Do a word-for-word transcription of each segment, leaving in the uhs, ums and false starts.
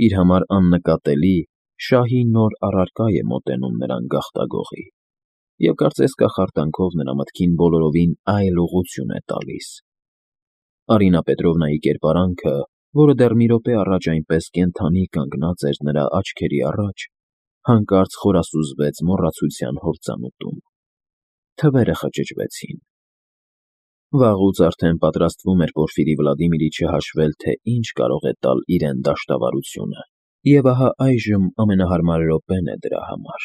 Իր համար աննկատելի, շահի նոր առարկա է մոտենում նրան գաղտագողի և կարծես կախարդանքով նրա մտքին բոլորովին այլ ուղղություն է տալիս. Արինա Պետրովնայի կերպարանքը, որը դեռ մի րոպե առաջ այնպես կենդանի կանգնած էր նրա աչքերի առաջ, հանկարծ խորասուզվեց մոռացության հորձանուտում. թվերը խճճվեցին. վաղուց արդեն պատրաստվում էր Պորֆիրի Վլադիմիրիչը հաշվել, թե ինչ կարող է տալ իրեն դաշտավարությունը, և ահա այժմ ամենահարմար րոպեն է դրա համար.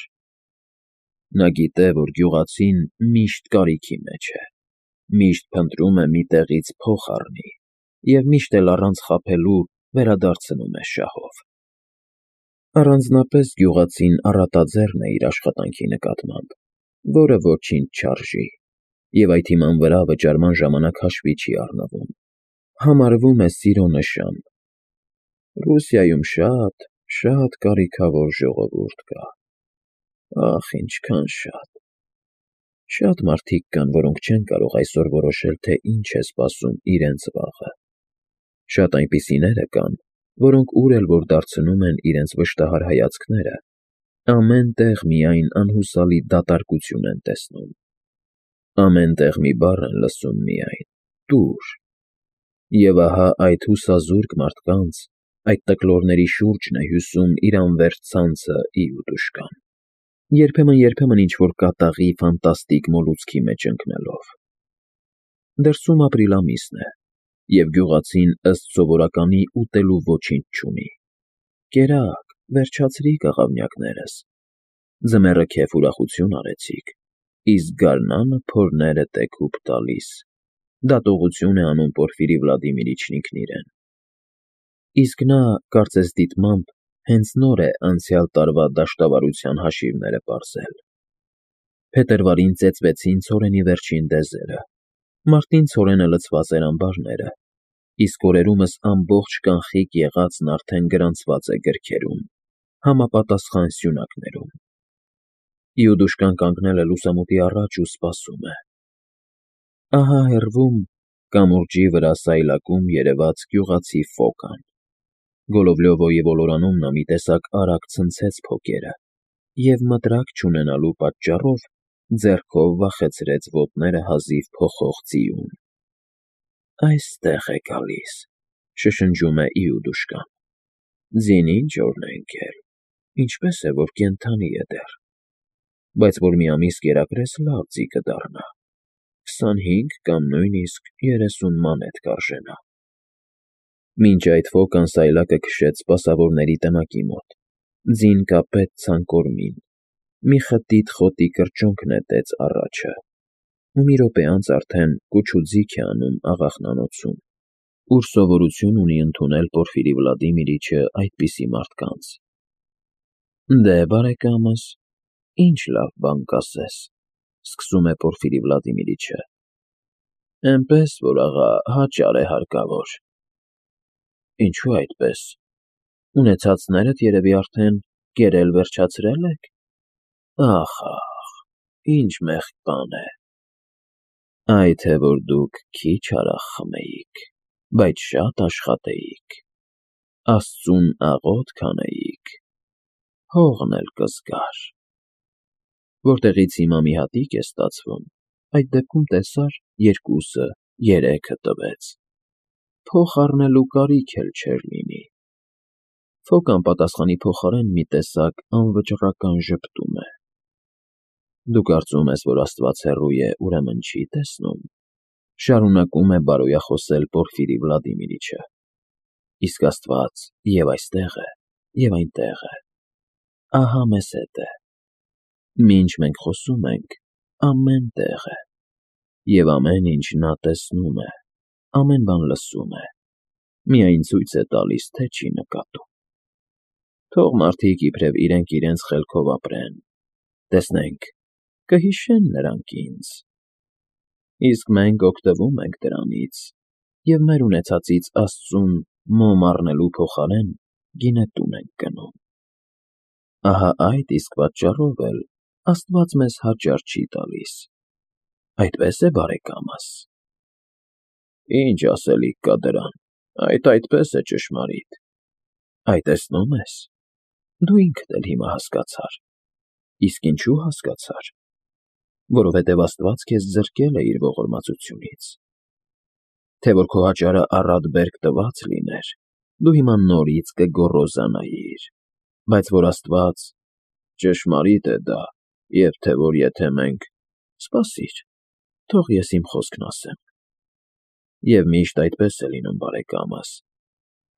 նա գիտե, որ գյուղացին միշտ կարիքի մեջ է, միշտ փնտրում է մի տեղից փող առնի և միշտ էլ առանց խաբելու վերադարձնում է շահով։ Առանձնապես գյուղացին առատաձեռն է իր աշխատանքի նկատմամբ, որը ոչինչ չարժի, և այդ հիման վրա վճարման ժամանակ հաշվի չի առնվում, համարվում է սիրո նշան. «Ռուսիայում շատ, շատ կարիքավոր ժողովուրդ կա, ախ, ինչքան շատ… Շատ մարդիկ կան, որոնք չեն կարող այսօր որոշել, թե ինչ է սպասում իրենց վաղը, շատ այնպիսիները կան, որոնք ուր էլ որ դարձնում են իրենց վշտահար հայացքները, ամեն տեղ միայն անհուսալի դատարկություն են տեսնում, ամեն տեղ մի բառ են լսում միայն՝ տուր… Եվ ահա այդ հուսազուրկ մարդկանց, այդ տկլորների շուրջն է հյուսում իր անվերջ ցանցը Իուդուշկան, երբեմն֊երբեմն ինչ֊որ կատաղի ֆանտաստիկ մոլուցքի մեջ ընկնելով։ Դրսում ապրիլ ամիսն է, և գյուղացին ըստ սովորականի ուտելու ոչինչ չունի. կերակ, վերջացրի՛ք, աղավնյակներս, ձմեռը քեֆ ուրախություն արեցիք, իսկ գարնանը փորներդ է քուփ տալիս, դատողություն է անում Պորֆիրի Վլադիմիրիչն ինքն իրեն։ Իսկ նա, կարծես դիտմամբ, հենց նոր է անցյալ տարվա դաշտավարության հաշիվները պարզել։ Փետրվարին ծեծվեցին ցորենի վերջին դեզերը, մարտին ցորենը լցված էր ամբարները, իսկ օրերումս ամբողջ կանխիկ եղածն արդեն գրանցված է գրքերում, համապատասխան սյունակներում։ Իուդուշկան կանգնել է լուսամուտի առաջ ու սպասում է։ Ահա հեռվում, կամուրջի վրա սայլակում երևաց գյուղացի Ֆոկան։ Գոլովլյովոյի ոլորանում նա մի տեսակ արագ ցնցեց փոկերը և, մտրակ չունենալու պատճառով, ձեռքով վախեցրեց ոտները հազիվ փոխող ձիուն։ «Այստեղ է գալիս», շշնջում է Իուդուշկան։ «Ձին ինչ օրն է ընկել, ինչպես է, որ կենդանի է դեռ, բայց որ մի ամիս կերակրես, լավ ձի կդառնա, քսանհինգ կամ նույնիսկ երեսուն մանեթ կարժենա»։ Մինչ այդ Ֆոկան սայլակը քշեց սպասավորների տնակի մոտ, ձին կապեց ցանկորմին, մի խտիտ խոտի կրճոնք նետեց առաջը ու մի րոպե անց արդեն կուչ ու ձիգ է անում աղախնանոցում, ուր սովորություն ունի ընդունել Պորֆիրի Վլադիմիրիչը այդպիսի մարդկանց։ «Դե, բարեկամս, ի՞նչ լավ բան կասես», ֊ սկսում է Պորֆիրի Վլադիմիրիչը։ «Էնպես որ, աղա, հաճար է հարկավոր»։ «Ինչո՞ւ այդպես, ունեցածներդ երևի արդեն կերել վերջացրել եք։ Ախ, ախ, ինչ մեղք բան է։ Այ թե որ դուք քիչ արահ խմեիք, բայց շատ աշխատեիք, Աստծուն աղոթք անեիք, հողն էլ կզգար։ Որտեղից հիմա մի հատիկ է ստացվում, այդ դեպքում տեսա՞ր, երկուսը, երեքը տվեց, փող առնելու կարիք էլ չէր լինի»։ Ֆոկան պատասխանի փոխարեն մի տեսակ անվճռական ժպտում է։ «Դու կարծում ես, որ Աստված հեռու է, ուրեմն չի տեսնում», ֊ շարունակում է բարոյախոսել Պորֆիրի Վլադիմիրիչը։ «Իսկ Աստված և այստեղ է, և այնտեղ է, ահա մեզ հետ է։ Մինչ մենք խոսում ենք, ամեն տեղ է, և ամեն ինչ նա տեսնում է, ամեն բան լսում է, միայն ցույց է տալիս, թե չի նկատում։ Թող մարդիկ իբրև իրենք իրենց խելքով ապրեն, տեսնենք, կհիշեն նրանք ինձ։ Իսկ մենք օգտվում ենք դրանից և մեր ունեցածից Աստծուն մոմ առնելու փոխարեն գինետուն ենք գնում։ Ահա այդ իսկ պատճառով էլ Աստված մեզ հաճար չի տալիս։ Այդպե՞ս է, բարեկամս»։ «Ինչ ասելիք կա դրան, այդ այդպես է, ճշմարիտ։ Այ տեսնում ես, դու ինքդ էլ հիմա հասկացար։ Իսկ ինչու հասկացար։ Որովհետև Աստված քեզ զրկել է իր ողորմածությունից։ Թե որ քո հաճարը առատ բերք տված լիներ, դու հիմա նորից կգոռոզանայիր, բայց որ Աստված… Ճշմարիտ է դա, և թե որ եթե մենք… Սպասիր, թող ես իմ խոսքն ասեմ։ Եվ միշտ այդպես է լինում, բարեկամս,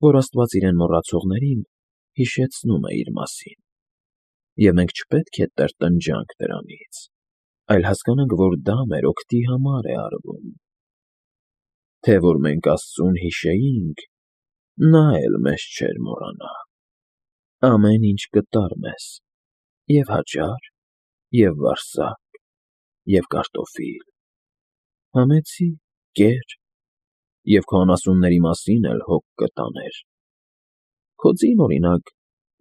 որ Աստված իրեն մոռացողներին հիշեցնում է իր մասին, և մենք չպետք է տրտնջանք դրանից, այլ հասկանանք, որ դա մեր օգտի համար է արվում։ Թե որ մենք Աստծուն հիշեինք, նա էլ մեզ չէր մոռանա։ Ամեն ինչ կտար մեզ, և՛ հաճար, և՛ վարսակ, և կարտոֆիլ, համեցի, կեր, և քո անասունների մասին էլ հոգ կտաներ։ Քո ձին, օրինակ,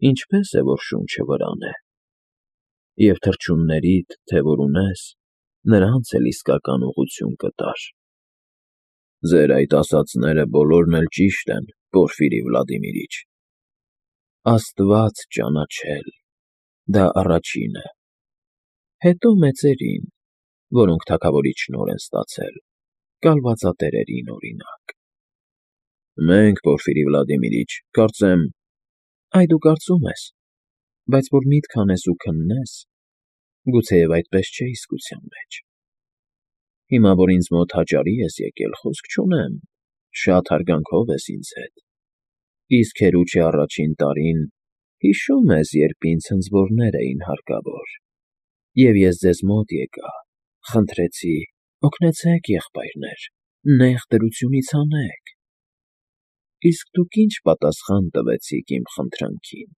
ինչպե՞ս է, որ շունչը վրան է, և թռչուններիդ, թե որ ունես, նրանց էլ իսկական ուղղություն կտար։ Ձեր այդ ասածները բոլորն էլ ճիշտ են, Պորֆիրի Վլադիմիրիչ։ Աստված ճանաչել, դա առաջինը, հետո մեծերին, որոնք թագավորի շնորհ են ստացել, կալվածատերերին, օրինակ։ Մենք, Պորֆիրի Վլադիմիրիչ, կարծեմ… Այ դու կարծում ես, բայց որ միտք անես ու քննես, գուցեև այդպես չէ իսկության մեջ։ Հիմա, որ ինձ մոտ հաճարի ես եկել, խոսք չունեմ, շատ հարգանքով ես ինձ հետ, իսկ Հերուչի առաջին տարին, հիշո՞ւմ ես, երբ ինձ հնձվորներ էին հարկավոր, և ես ձեզ մոտ եկա, խնդրեցի. «Օգնեցե՛ք, եղբայրներ, նեղ դրությունից հանեք»։ Իսկ դուք ի՞նչ պատասխան տվեցիք իմ խնդրանքին։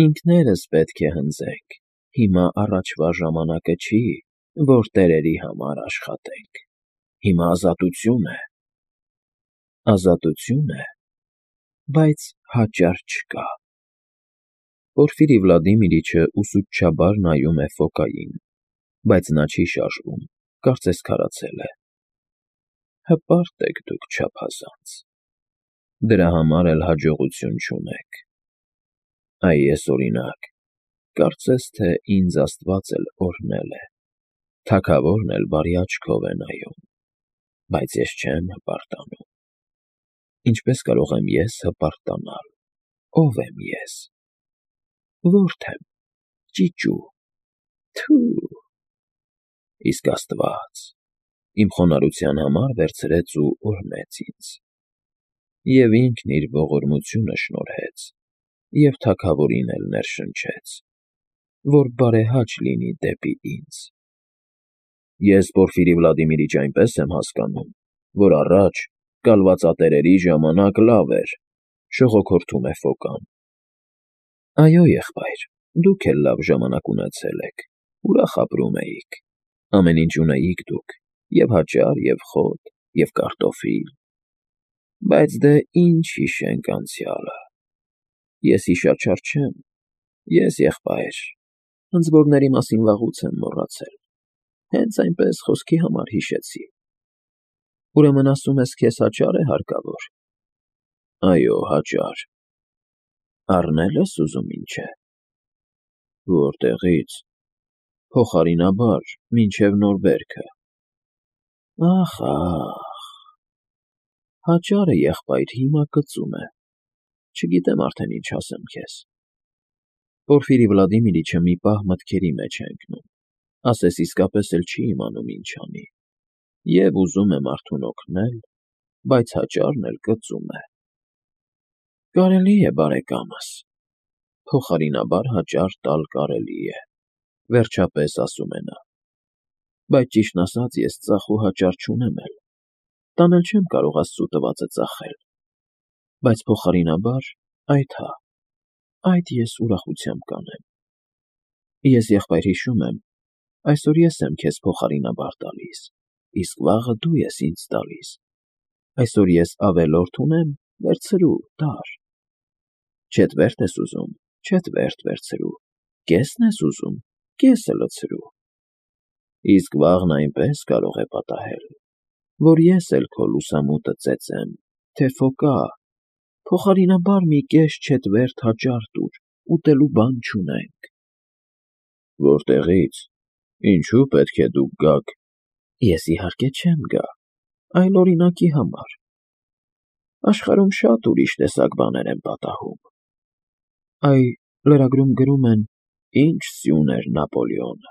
Ինքներս պետք է հնձենք, հիմա առաջվա ժամանակը չի, որ տերերի համար աշխատենք, հիմա ազատություն է։ Ազատություն է, բայց հաճար չկա։ Պորֆիրի Վլադիմիրիչը ուսուցչաբար նայում է Ֆոկային, բայց նա չի շարժվում, կարծես քարացել է։ Հպարտ եք դուք չափազանց, դրա համար էլ հաջողություն չունեք։ Այ ես, օրինակ, կարծես թե ինձ Աստված էլ օրհնել է, թագավորն էլ բարի աչքով է նայում, բայց ես չեմ հպարտանում։ Ինչպե՞ս կարող եմ ես հպարտանալ, ո՞վ եմ ես։ Ո՞րդ եմ, ճիճու, թո՛ւ… Իսկ Աստված իմ խոնարհության համար վերցրեց ու օրհնեց ինձ, և ինքն իր ողորմությունը շնորհեց, և թագավորին էլ ներշնչեց, որ բարեհաճ լինի դեպի ինձ։ Ես, Պորֆիրի Վլադիմիրիչ, այնպես եմ հասկանում, որ առաջ, կալվածատերերի ժամանակ լավ էր, շողոքորթում է Ֆոկան։ Այո, եղբայր, դուք էլ լավ ժամանակ ունեցել եք, ուրախ ապրում էիք, ամեն ինչ ունեիք դուք, և՛ հաճար, և՛ խոտ, և՛ կարտոֆիլ։ Բայց դե ինչ հիշենք անցյալը… Ես հիշաչար չեմ, ես, եղբայր, հնձվորների մասին վաղուց եմ մոռացել, հենց այնպես խոսքի համար հիշեցի։ Ուրեմն ասում ես, քեզ հաճա՞ր է հարկավոր։ Այո, հաճար։ Առնե՞լ ես ուզում, ինչ է։ Որտեղի՞ց։ Փոխարինաբար, մինչև նոր բերքը։ Ախ, ախ… Հաճարը, եղբայր, հիմա կծում է, չգիտեմ արդեն ինչ ասեմ քեզ։ Պորֆիրի Վլադիմիրիչը մի պահ մտքերի մեջ է ընկնում, ասես իսկապես էլ չի իմանում ինչ անի, և ուզում է մարդուն օգնել, բայց հաճարն էլ կծում է։ Կարելի է, բարեկամս, փոխարինաբար հաճար տալ կարելի է, վերջապես ասում է նա, բայց ճիշտն ասած ես ծախ ու հաճար չունեմ էլ, տանել չեմ կարող Աստծու տվածը ծախել, բայց փոխարինաբար, այդ հա, այդ ես ուրախությամբ կանեմ։ Ես, եղբայր, հիշում եմ, այսօր ես եմ քեզ փոխարինաբար տալիս, իսկ վաղը դու ես ինձ տալիս, այսօր ես ավելորդ ունեմ, վերցրու, տար։ Չետվերդ ես ուզում, չետվերդ վերցրու, կես՞ն ես ուզում, կեսը լցրու։ Իսկ վաղն այնպես կարող է պատահել, որ ես էլ քո լուսամուտը ծեծեմ, թե Ֆոկա, Փոխարինաբար մի կես չետվերթ հաճար տուր, ուտելու բան չունենք։ Որտեղի՞ց, ինչու պետք է դուք գաք։ Ես իհարկե չեմ գա, այլ օրինակի համար։ Աշխարհում շատ ուրիշ տեսակ բաներ են պատահում։ Այ լրագրում գրում են. «Ինչ սյուն էր Նապոլեոնը»,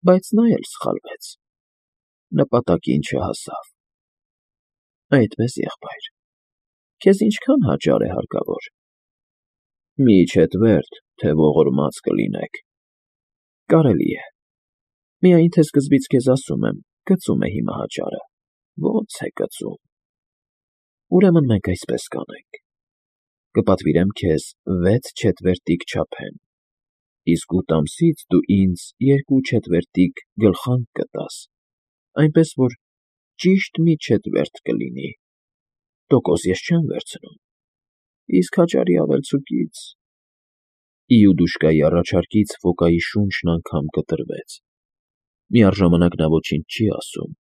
բայց նա էլ սխալվեց, նպատակին չհասավ։ Այդպես, եղբայր, քեզ ինչքան հաճար է հարկավոր։ Մի չետվերթ, թե ողորմած կլինեք։ Կարելի է։ Միայն թե սկզբից քեզ ասում եմ, կծում է հիմա հաճարը։ Ո՞նց է կծում։ Ուրեմն մենք այսպես կանենք. կպատվիրեմ քեզ վեց չետվերտիկ չափեն, իսկ ութ ամսից դու ինձ երկու չետվերտիկ գլխանք կտաս, այնպես որ ճիշտ մի չետվերտ կլինի։ Տոկոս ես չեմ վերցնում, իսկ հաճարի ավելցուկից… Իուդուշկայի առաջարկից Ֆոկայի շունչն անգամ կտրվեց։ Միառժամանակ նա ոչինչ չի ասում,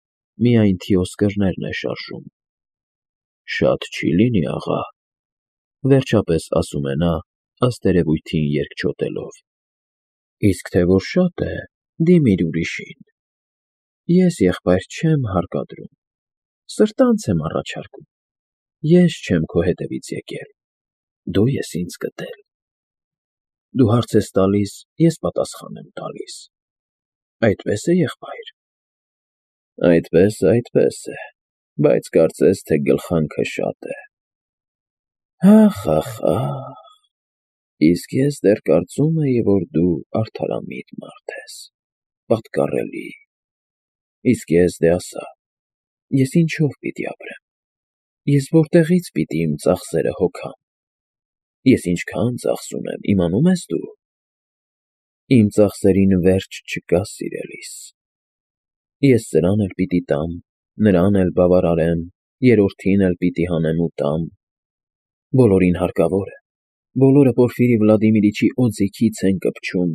միայն թիոսկրներն է շարժում։ Շատ չի՞ լինի, աղա, վերջապես ասում է նա, ըստ երևույթին երկչոտելով։ Իսկ թե որ շատ է, դիմիր ուրիշին։ Ես, եղբայր, չեմ հարկադրում, սրտանց եմ առաջարկում։ Ես չեմ քո հետևից եկել, դու ես ինձ գտել։ Դու հարց ես տալիս, ես պատասխան եմ տալիս։ Այդպե՞ս է, եղբայր։ Այդպես, այդպես է, բայց կարծես թե գլխանքը շատ է։ Ախ, ախ, ախ, իսկ ես դեռ կարծում էի, որ դու արդարամիտ մարդ ես, պատկառելի։ Իսկ ես դե ասա, ես ինչով պիտի ապրեմ, ես որտեղից պիտի իմ ծախսերը հոգամ, ես ինչքան ծախս ունեմ, իմանում ես դու։ Իմ ծախսերին վերջ չկա, սիրելիս։ Ես սրան էլ պիտի տամ, նրան էլ բավարարեմ, երրորդին էլ պիտի հանեմ ու տամ։ Բոլորին հարկավոր է, բոլորը Պորֆիրի Վլադիմիրիչի օձիքից են կպչում,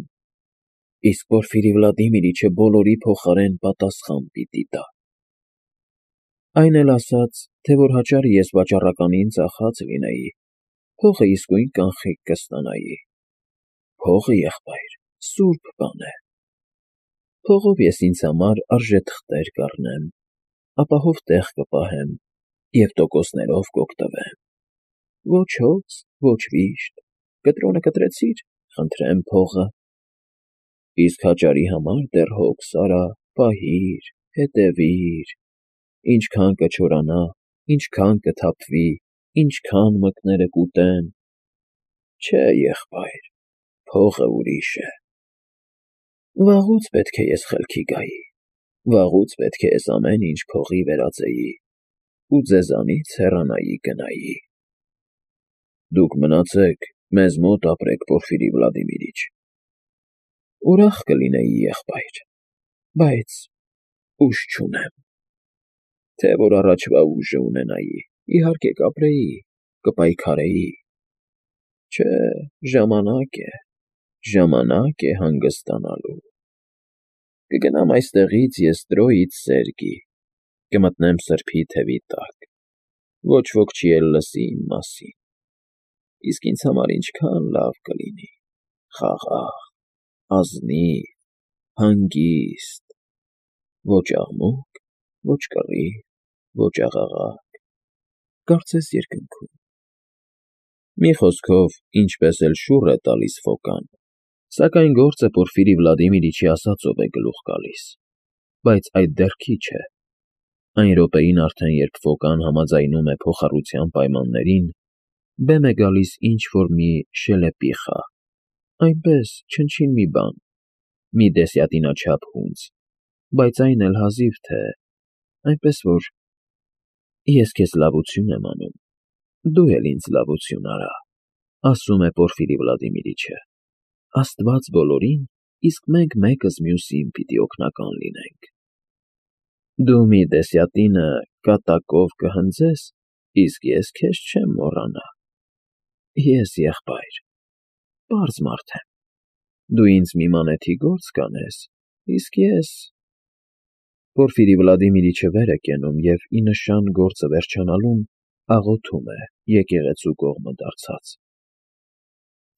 իսկ Պորֆիրի Վլադիմիրիչը բոլորի փոխարեն պատասխան պիտի տա։ Այն էլ ասած, թե որ հաճարը ես վաճառականին ծախած լինեի, փողը իսկույն կանխիկ կստանայի։ Փողը, եղբայր, սուրբ բան է։ Փողով ես ինձ համար արժե թղթեր կառնեմ, ապահով տեղ կպահեմ և տոկոսներով կօգտվեմ։ Ոչ հոգս, ոչ վիշտ, կտրոնը կտրեցի՞ր, խնդրեմ փողը։ Իսկ հաճարի համար դեռ հոգս արա, պահիր, հետևիր, ինչքան կչորանա, ինչքան կթափվի, ինչքան մկները կուտեն։ Չէ, եղբայր, փողը ուրիշ է։ Վաղուց պետք է ես խելքի գայի, վաղուց պետք է ես ամեն ինչ փողի վերածեի ու ձեզանից հեռանայի գնայի։ Դուք մնացեք, մեզ մոտ ապրեք, Պորֆիրի Վլադիմիրիչ։ Ուրախ կլինեի, եղբայր, բայց ուժ չունեմ։ Թե որ առաջվա ուժը ունենայի, իհարկե կապրեի, կպայքարեի։ Չէ, ժամանակ է, ժամանակ է հանգստանալու։ Կգնամ այստեղից ես Տրոյից Սերգի, կմտնեմ սրբի թևի տակ, ոչ ոք չի էլ լսի իմ մասին, իսկ ինձ համար ինչքան լավ կլինի, խաղաղ, ազնիվ, հանգիստ, ոչ աղմուկ, ոչ կռիվ, ոչ աղաղակ, կարծես երկնքում։ Մի խոսքով, ինչպես էլ շուռ է տալիս Ֆոկան, սակայն գործը Պորֆիրի Վլադիմիրիչի ասածով է գլուխ գալիս, բայց այդ դեռ քիչ է։ Այն րոպեին արդեն, երբ Ֆոկան համաձայնում է փոխառության պայմաններին, բեմ է գալիս ինչ֊որ մի շելեպիխա, այնպես, չնչին մի բան, մի դեսյատինաչափ հունձ, բայց այն էլ հազիվ թե, այնպես որ… Ես քեզ լավություն եմ անում, դու էլ ինձ լավություն արա, ասում է Պորֆիրի Վլադիմիրիչը, Աստված բոլորին, իսկ մենք մեկս մյուսին պիտի օգնական լինենք։ Դու մի դեսյատինը կատակով կհնձես, իսկ ես քեզ չեմ մոռանա։ Ես, եղբայր, պարզ մարդ եմ, դու ինձ մի մանեթի գործ կանես, իսկ ես… Պորֆիրի Վլադիմիրիչը վեր է կենում և, ի նշան գործը վերջանալուն, աղոթում է եկեղեցու կողմը դարձած։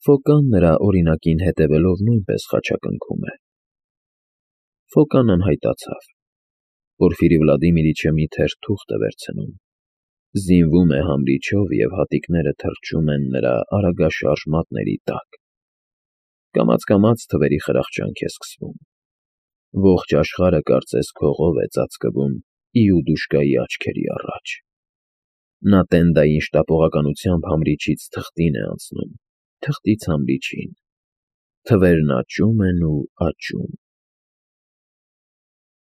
Ֆոկան նրա օրինակին հետևելով նույնպես խաչակնքում է։ Ֆոկան անհայտացավ։ Պորֆիրի Վլադիմիրիչը մի թերթ թուղթ է վերցնում, զինվում է համրիչով և հատիկները թռչում են նրա արագաշարժ մատների տակ։ Կամաց֊կամաց թվերի խրախճանք է սկսվում։ Ողջ աշխարհը կարծես քողով է ծածկվում Իուդուշկայի աչքերի առաջ։ Նա տենդային շտապողականությամբ համրիչից թղթին է անցնում, թղթից համրիչին։ Թվերն աճում են ու աճում։